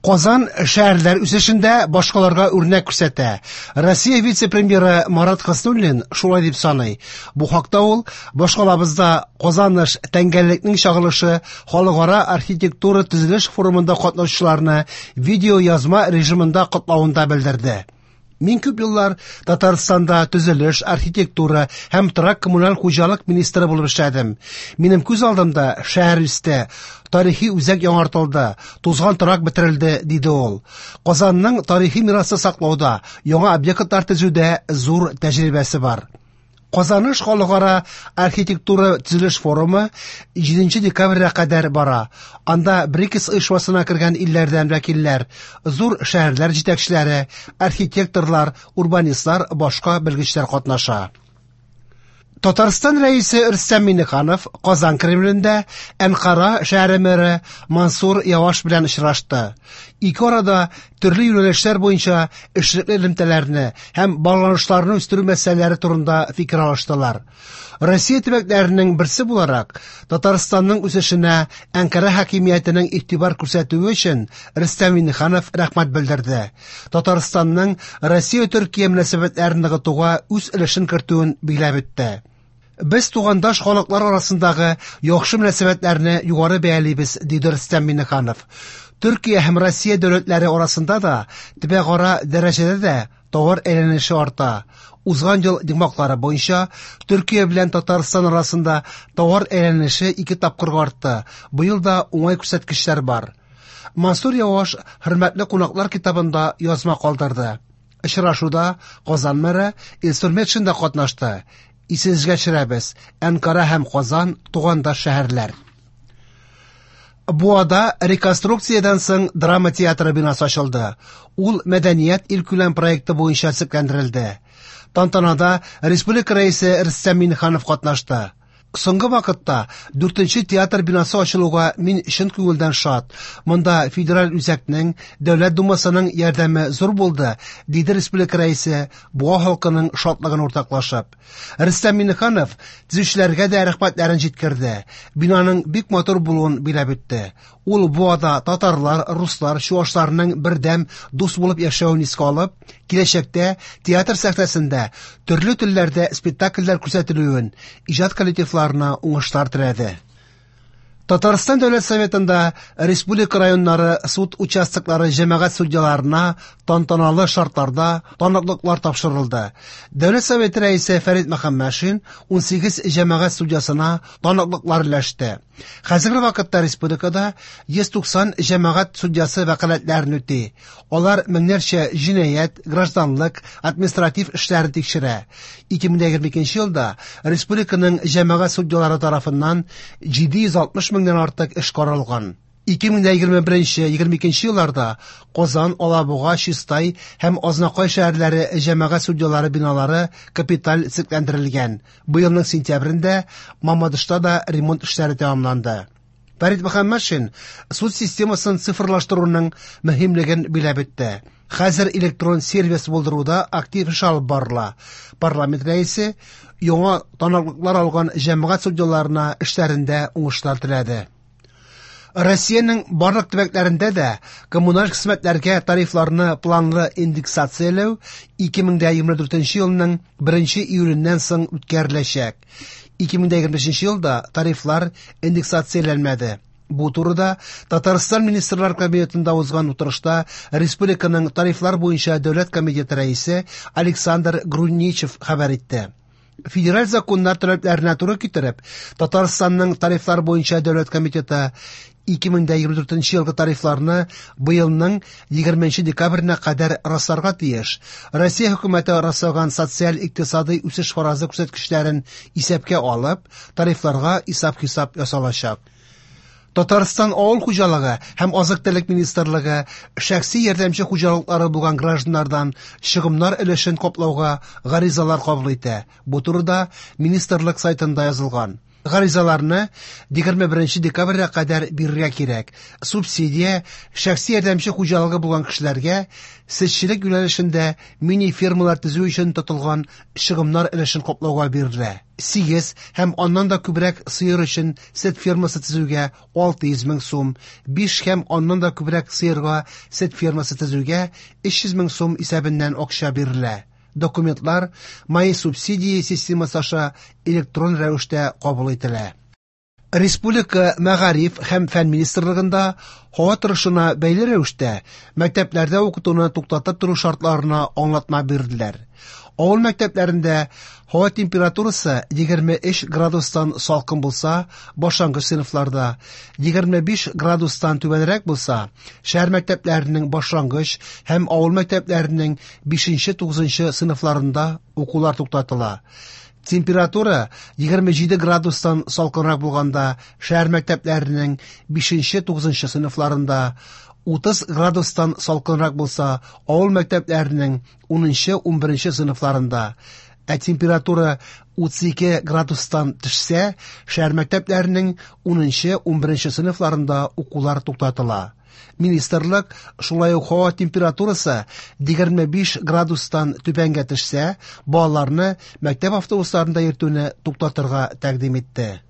Казан шәһәрләр үсешендә башкаларга үрнәк күрсәтә. Россия вице-премьеры Марат Хөснуллин шулай дип саный. Бу хакта ул башкалабызда Казаныш тәңгәллекнең чагылышы халыкара архитектура төзелеш форумында катнашучыларны видеоязма режимында котлавында белдерде. Мин күп еллар Татарстанда төзелеш, архитектура һәм торак-коммуналь хуҗалык министры булып эшләдем. Минем күз алдымда шәһәр үсте, тарихи үзәк яңартылды, тузган торак бетерелде, диде ул. Казанның тарихи мирасы саклауда, яңа объектлар төзүдә зур тәҗрибәсе бар. Казаныш халыкара архитектура төзелеш форумы 7 декабрьгә кадәр бара. Анда БРИКС оешмасына кергән илләрдән вәкилләр, зур шәһәрләр җитәкчеләре, архитекторлар, урбанистлар, башка белгечләр катнаша. Татарстан Рәисе Рөстәм Миңнеханов Казан Кремлендә Әнкара шәһәре мэры Мансур Яваш белән очрашты. Ике арада төрле юнәлешләр буенча эшлекле элемтәләрне һәм багланышларны үстерү мәсьәләләре турында фикер алыштылар. Россия төбәкләренең берсе буларак, Татарстанның үсешенә Әнкара хакимиятенең игътибар күрсәтүе өчен Рөстәм Миңнеханов рәхмәт белдерде. Татарстанның Россия-Төркия мөнәсәбәтләрен ныгытуга үз өлешен кертүен билгеләп үтте. Без тугандаш халыклар арасындагы яхшы мөнәсәбәтләрне югары бәялибез, диде Рөстәм Миңнеханов. Төркия һәм Россия дәүләтләре арасында да, төбәкара дәрәҗәдә дә товар әйләнеше арта. Узган ел йомгаклары буенча Төркия белән Татарстан арасында товар әйләнеше ике тапкырга артты. Быел да уңай күрсәткечләр бар. Мансур Яваш хөрмәтле кунаклар китабында язма калдырды. Очрашуда Казан мэры Илсур Метшин да катнашты. Исегезгә төшерәбез, Әнкара һәм Казан тугандаш шәһәрләр. Буада реконструкциядән соң драма театры бинасы ачылды. Ул Мәдәният илкүләм проекты буенча төзекләндерелде. Тантанада республика рәисе Рөстәм Миңнеханов катнашты. Соңгы вакытта дүртенче театр бинасы ачылуга мин чын күңелдән шат. Монда федераль үзәкнең, Дәүләт Думасының ярдәме зур булды, диде республика рәисе, Буа халкының шатлыгын уртаклашып. Рөстәм Миңнеханов төзүчеләргә дә рәхмәтләрен җиткерде. Бинаның бик матур булуын биләп үтте. Ул Буада татарлар, руслар, чуашларның бердәм, дус булып яшәвен искә алып, киләчәктә театр сәхнәсендә төрле телләрдә спектакльләр күрсәтелүен, иҗат коллективларына уңышлар теләде. Татарстан Дәүләт Советында республика районнары суд участоклары җәмәгать судьяларына тантаналы шартларда таныклыклар тапшырылды. Дәүләт Советы рәисе Фәрит Мөхәммәтшин 18 җәмәгать судьясына таныклыклар өләште. Хәзерге вакытта республикада 190 җәмәгать судьясы вәкаләтләрен үти. Алар меңнәрчә җинаять, гражданлык, административ эшләрен тикшерә. 2022 елда республиканың җәмәгать судьялары тарафыннан 760 меңнән артык эш каралган. 2021-22 елларда Казан, Алабуга, Чистай һәм Азнакай шәһәрләре җәмәгать судьялары биналары капиталь төзекләндерелгән. Быелның сентябрендә Мамадышта да ремонт эшләре тәмамланды. Фәрит Мөхәммәтшин суд системасын цифрлаштыруның мөһимлеген биләп үтте. Хәзер электрон сервис булдыруда актив эш алып барыла. Парламент рәисе яңа таныклыклар алган җәмәгать судьяларына эшләрендә уңышлар теләде. Россиянең барлык төбәкләрендә дә коммуналь хезмәтләргә тарифларны планлы индексацияләү 2024 елның 1 июленнән соң үткәреләчәк. 2025 елда тарифлар индексацияләнмәде. Бу турыда Татарстан Министрлар Кабинетында узган утырышта республиканың тарифлар буенча дәүләт комитеты рәисе Александр Груничев хәбәр итте. Федераль законнар таләпләренә туры китереп, Татарстанның тарифлар буенча дәүләт комитеты 2024 елгы тарифларны быелның 20 декабренә кадәр расларга тиеш. Россия хөкүмәте раслаган социаль-икътисадый үсеш фаразы күрсәткечләрен исәпкә алып, тарифларга исәп-хисап ясалачак. Татарстан авыл хуҗалыгы һәм азык-төлек министрлыгы шәхси ярдәмче хуҗалыклары булган гражданнардан чыгымнар өлешен каплауга гаризалар кабул итә. Бу турыда министрлык сайтында язылган. Гаризаларны 21 декабрьгә кадәр бирергә кирәк. Субсидия шәхси ярдәмче хуҗалыгы булган кешеләргә сөтчелек юнәлешендә мини-фермалар төзү өчен тотылган чыгымнар өлешен каплауга бирелә. 8 һәм аннан да күбрәк сыер өчен сөт фермасы төзүгә 600 мең сум, 5 һәм аннан да күбрәк сыерга сөт фермасы төзүгә 300 мең сум исәбеннән акча бирелә. Документлар «Мои субсидии» системасы аша электрон рәвештә кабул ителә. Республика Мәгариф һәм фән министрлыгында һава торышына бәйле рәвештә мәктәпләрдә укытуны туктатып тору шартларына аңлатма бирделәр. Авыл мәктәпләрендә һава температурасы 23 градустан салкын булса, башлангыч сыйныфларда 25 градустан түбәнрәк булса, шәһәр мәктәпләренең башлангыч һәм авыл мәктәпләренең 5-9 сыйныфларында укулар туктатыла. Температура 27 градустан салкынрак булганда шәһәр мәктәпләренең 5-9 сыйныфларында, 30 градустан салкынрак булса, авыл мәктәпләренең 10-11 сыйныфларында, ә температура 32 градустан төшсә, шәһәр мәктәпләренең 10-11 сыйныфларында укулар туктатыла. Министрлык шулай ук һава температурасы 25 градустан түбәнгә төшсә, балаларны мәктәп автобусларында йөртүне туктатырга тәкъдим итте.